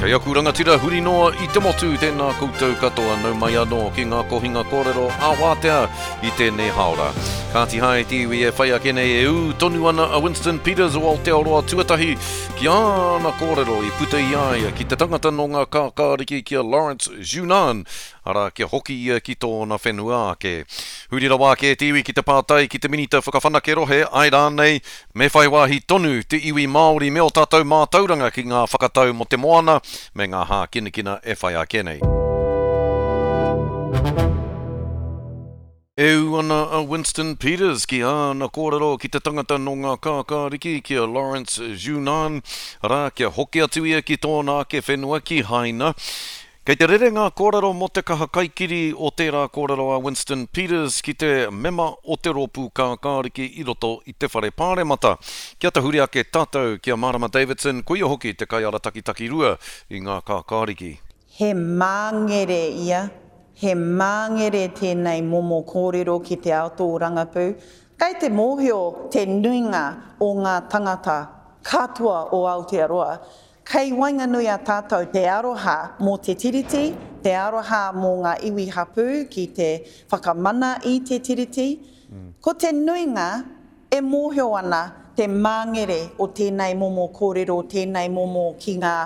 Kei aku rangatira huri noa i te motu, tēnā koutou katoa, nau mai anō ki ngā kohinga kōrero ā-wātea i tēnei hāora. Kāti hae te iwi e whai ake nei e ū tonu ana a Winston Peters o Aotearoa Tuatahi ki āna kōrero i puta i a ia ki te tangata nō ngā kākāriki ki a Lawrence Junan, arā kia hoki ia ki tōna whenua ake. Huri rawa ake te iwi ki te pātai ki te Minita Whakawhanake Rohe, āe rānei, Me whai wāhi tonu te iwi Māori me ō tātou mātauranga ki ngā whakatau mō te moana me ngā hākinakina e whai ake nei. E ū ana a Winston Peters ki āna kōrero ki te tangata nō ngā kākāriki ki a Lawrence Junan, arā, kia hoki atu ia ki tōna ake whenua ki Haina. Kei te rere ngā kōrero mō te kaha kaikiri o tērā kōrero a Winston Peters ki te mema o te Rōpū Kākāriki i roto i te Whare Pāremata. Kia tahuri ake tātou ki a Marama Davidson, koia hoki te kaiarataki takirua i ngā Kākāriki. He māngere ia, he māngere tēnei momo kōrero ki te ao tōrangapū. Kei te mōhio te nuinga o ngā tangata katoa o Aotearoa Kei waenganui a tātou te aroha mō te Tiriti, te aroha mō ngā iwi hapū ki te whakamana i te Tiriti. Ko te nuinga e mōhio ana te māngere o tēnei momo kōrero, tēnei momo ki ngā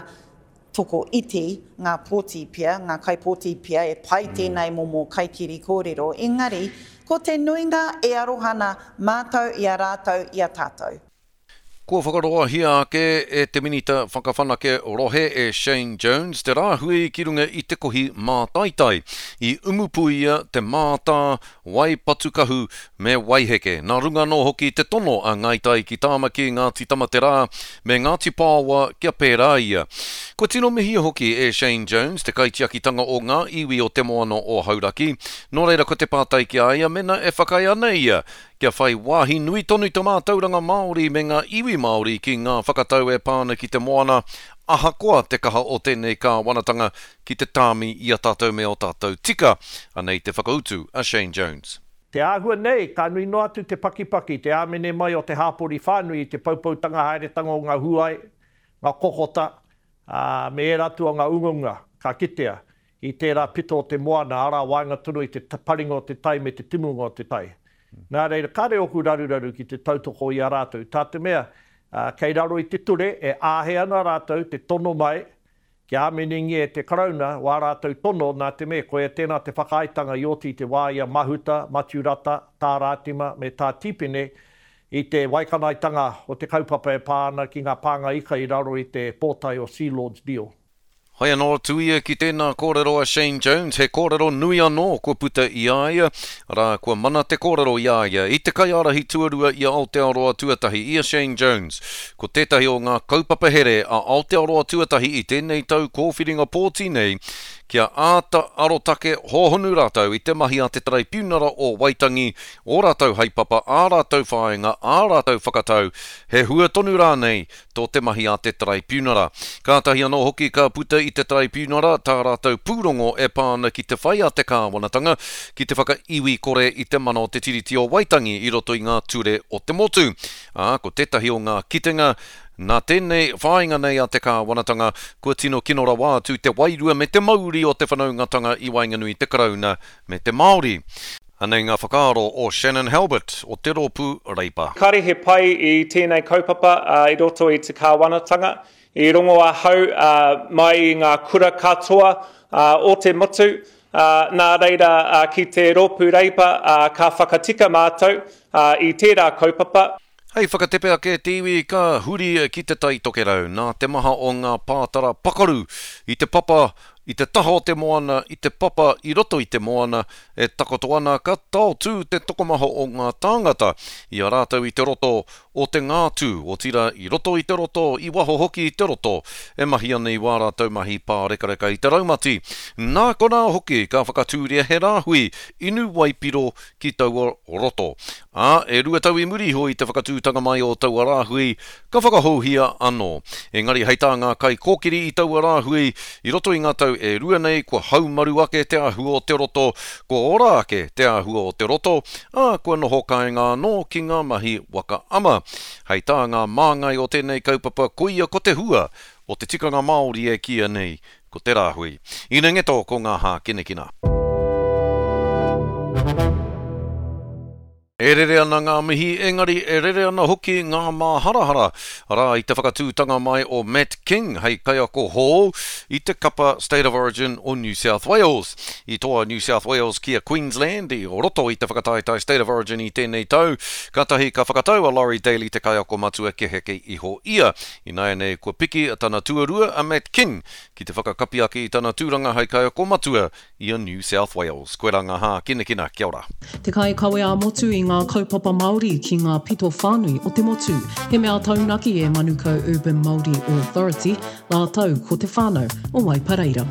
toko iti, ngā pōti pea, ngā kaipōti pea e pai tēnei momo kaikiri kōrero, engari ko te nuinga e aroha ana mātou i a rātou i a tātou. Kua whakaroahia ake e te Minita Whakawhanake Rohe e Shane Jones te rāhui ki runga i te kohi mātaitai i Umupuia, Te Mātā, Waipatukahu me Waiheke. Nā runga anō hoki te tono a Ngāi Tai ki Tāmaki, Ngāti Tamaterā me Ngāti Paoa kia pērā ia. Kua tino mihia hoki e Shane Jones te kaitiakitanga o ngā iwi o Te Moana o Hauraki, nō reira ko te pātai ki a ia mena e whakaae ana ia Kia whai wāhi nui tonu te mātauranga Māori me ngā iwi Māori ki ngā whakatau e pā ana ki te moana, ahakoa te kaha o tēnei kāwanatanga ki te tāmi i a tātou me ō tātou tika. Anei te whakautu a Shane Jones. Te āhua nei, ka nui noa atu te pakipaki, te āmene mai o te hāpori whānui i te poupoutanga haeretanga o ngā huae, ngā kokota, ā, me ērā atu o ngā ungaunga ka kitea I tērā pito o te moana, arā, waenga tonu i te paringa o te tai me te timunga o te tai. Nā reira, kāre ōku raruraru ki te tautoko i a rātou, tā te mea, kei raro i te ture e āhei ana rātou te tono mai kia āmenengia e te Karauna wā rātou tono, nā te mea, koia tēnā te whakaaetanga i oti i te wā i a Mahuta, Matiu Rata, Tā Rātima me Tā Tīpene i te waikanaetanga o te kaupapa e pā ana ki ngā pānga ika i raro i te pōtae o Sealord's Deal. Hai anō atu ia ki tēnā kōrero a Shane Jones, he kōrero nui anō kua puta i a ia, arā, kua mana te kōrero i a ia, i te kaiārahi tuarua i a Aotearoa Tuatahi, i a Shane Jones. Ko tētahi o ngā kaupapa here a Aotearoa Tuatahi i tēnei tau kōwhiringa pōti nei, kia āta arotake hōhonu rātou i te mahi a te Taraipiunara o Waitangi, ō rātou haepapa, ā rātou whāinga, ā rātou whakatau, he hua tonu rānei tō te mahi a te Taraipiunara. Kātahi anō hoki ka puta i te Taraipiunara tā rātou pūrongo e pā ana ki te whai a te kāwanatanga ki te whakaiwi kore i te mana o te Tiriti o Waitangi i roto i ngā ture o te motu. Ā, ko tētahi o ngā kitenga, nā tēnei whāinga nei a te kāwanatanga, kua tino kino rawa atu te wairua me te mauri o te whanaungatanga i waenganui i te Karauna me te Māori. Anei ngā whakaaro o Shannon Halbert o te Rōpū Reipa. Kāre he pai i tēnei kaupapa i roto i te kāwanatanga. I rongo ahau mai i ngā kura katoa o te motu, nā reira ki te Rōpū Reipa ka whakatika mātou i tērā kaupapa. Hei whakatepe ake te iwi ka huri ki Te Tai Tokerau nā te maha o ngā pātara pakaru i te papa, i te taha o te moana, i te papa i roto i te moana e takoto ana ka taotū te tokomaha o ngā tāngata i a rātou i te roto o Te Ngātū, otirā i roto i te roto, i waho hoki i te roto e mahi ana i wā rātou mahi pārekareka i te raumati. Nā konā hoki ka whakatūria he rāhui inu waipiro ki taua roto. Ā, e 2 tau i muri iho i te whakatūtanga mai o taua rāhui, ka whakahouhia anō. Engari hei tā ngā kaikōkiri i taua rāhui, i roto i ngā tau e rua nei kua haumaru ake te āhua o te roto, kua ora ake te āhua o te roto, ā, kua noho kāinga anō ki ngā mahi waka ama. Hei tā ngā māngai o tēnei kaupapa koia ko te hua. o te tikanga Māori e kīia nei ko te rāhui. Ina ngeto ko ngā hākinakina. E rere ana ngā mihi, engari e rere ana hoki ngā māharahara, arā, i te whakatūtanga mai o Matt King hei kaiako hou i te kapa State of Origin o New South Wales. I toa New South Wales ki a Queensland i roto i te whakataetae State of Origin i tēnei tau, kātahi ka whakatau a Laurie Daley te kaiako matua kia heke iho ia. Ināianei kua piki tana tuarua a Matt King ki te whakakapi ake i tana tūranga hei kaiako matua i a New South Wales. Koirā ngā hākinakina. Kia ora. Te kaikawe ā-motu i ngā kaupapa Māori ki ngā pito whānui o te motu. He mea taunaki e Manukau Urban Māori Authority rātou ko te whānau o Waipareira.